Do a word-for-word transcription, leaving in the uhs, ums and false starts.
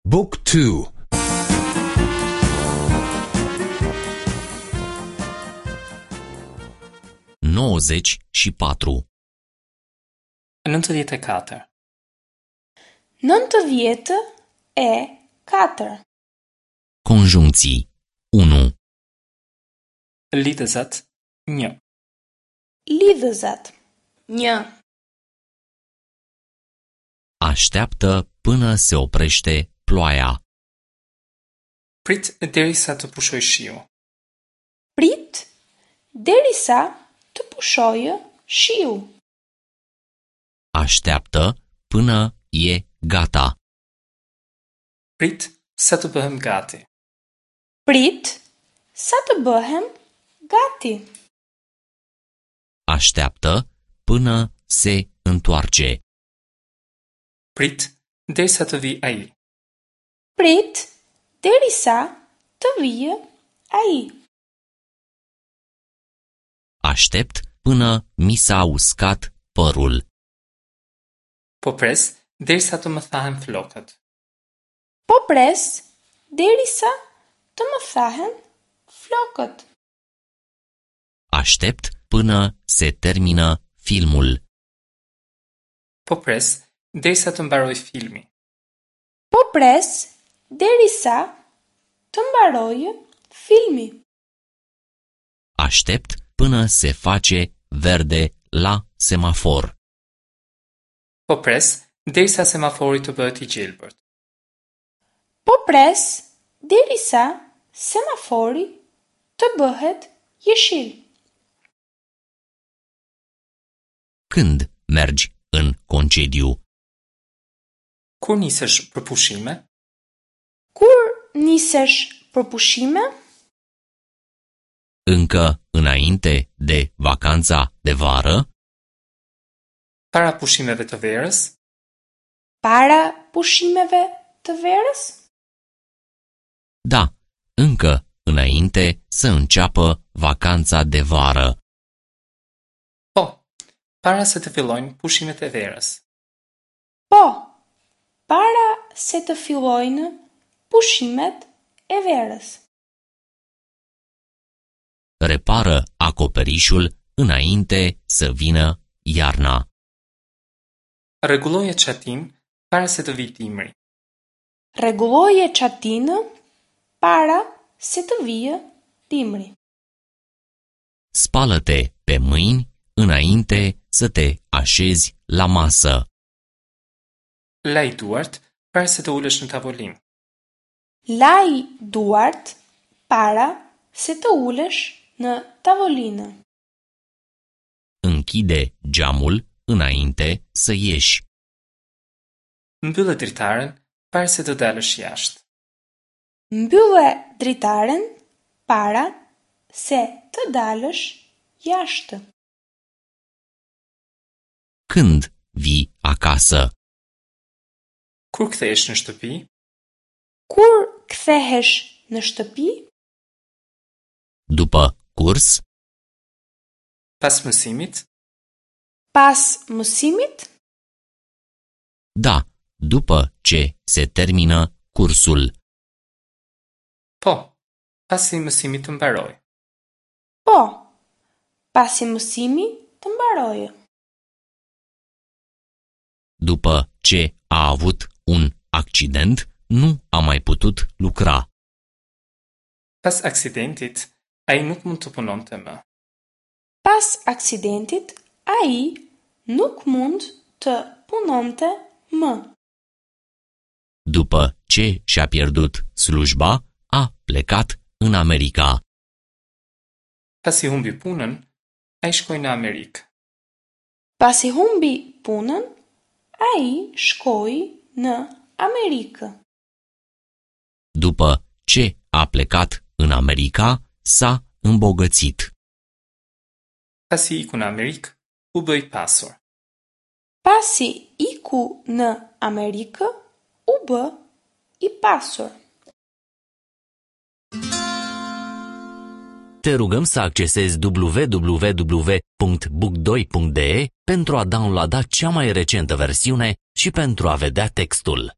Book two. Nouăzeci și patru. Nëntëdhjetë e katër. Nëntëdhjetë e katër. Conjuncții unu. Lidhëzat një. Lidhëzat një. Așteaptă până se oprește ploaia. Prit derisa të pushojë shiu. Prit derisa të pushojë shiu. Așteaptă până e gata. Prit sa të bëhem gati. Prit sa të bëhem gati. Așteaptă până se întoarce. Prit derisa të vijë ai. Prit derisa të vijë ai. Aștept până mi s-a uscat părul. Po pres derisa të më thahen flokët. Po pres derisa të më thahen flokët. Aștept până se termină filmul. Po pres derisa të mbarojë filmi. Po pres derisa të mbarojë filmi. Aștept până se face verde la semafor. Po pres derisa semafori të bëhet i gjelbërt. Po pres derisa semafori të bëhet jeshil. Când mergi în concediu? Kur nisesh për pushime? Kur nisesh për pushime? Încă înainte de vacanța de vară? Para pushimeve të verës? Para pushimeve të verës? Da, încă înainte să înceapă vacanța de vară. Po, para se të fillojnë pushimet e verës. Po, para se të fillojnë pushimet e verës. Repară acoperișul înainte să vină iarna. Rregulloje çatinë para se të vijë dimri. Rregulloje çatinë para se të vijë dimri. Spală-te pe mâini înainte să te așezi la masă. Laj duart para se të ulesh në tavolinë. Laj duart para se të ulesh në tavolinë. Închide geamul înainte să ieși. Mbyllë dritaren para se të dalësh jashtë. Mbyllë dritaren para se të dalësh jashtë. Când vii acasă? Kur kthehesh në shtëpi? Kur kthehesh në shtëpi? După curs? Pas mësimit? Pas mësimit? Da, după ce se termină cursul. Po, pasi mësimi të mbarojë. Po, pasi mësimi të mbarojë. După ce a avut un accident, nu a mai putut lucra. Pas aksidentit, ai nuk mund të punonte më. Pas aksidentit, ai nuk mund të punonte më. După ce și-a pierdut slujba, a plecat în America. Pasi humbi punën, ai shkoi në Amerikë. Pasi humbi punën, ai shkoi në Amerikë. După ce a plecat în America, s-a îmbogățit. Pasi iku në Amerikë, u bë i pasur. Pasi iku në Amerikë, u bë i pasur. Te rugăm să accesezi w w w punct book doi punct d e pentru a downloada cea mai recentă versiune și pentru a vedea textul.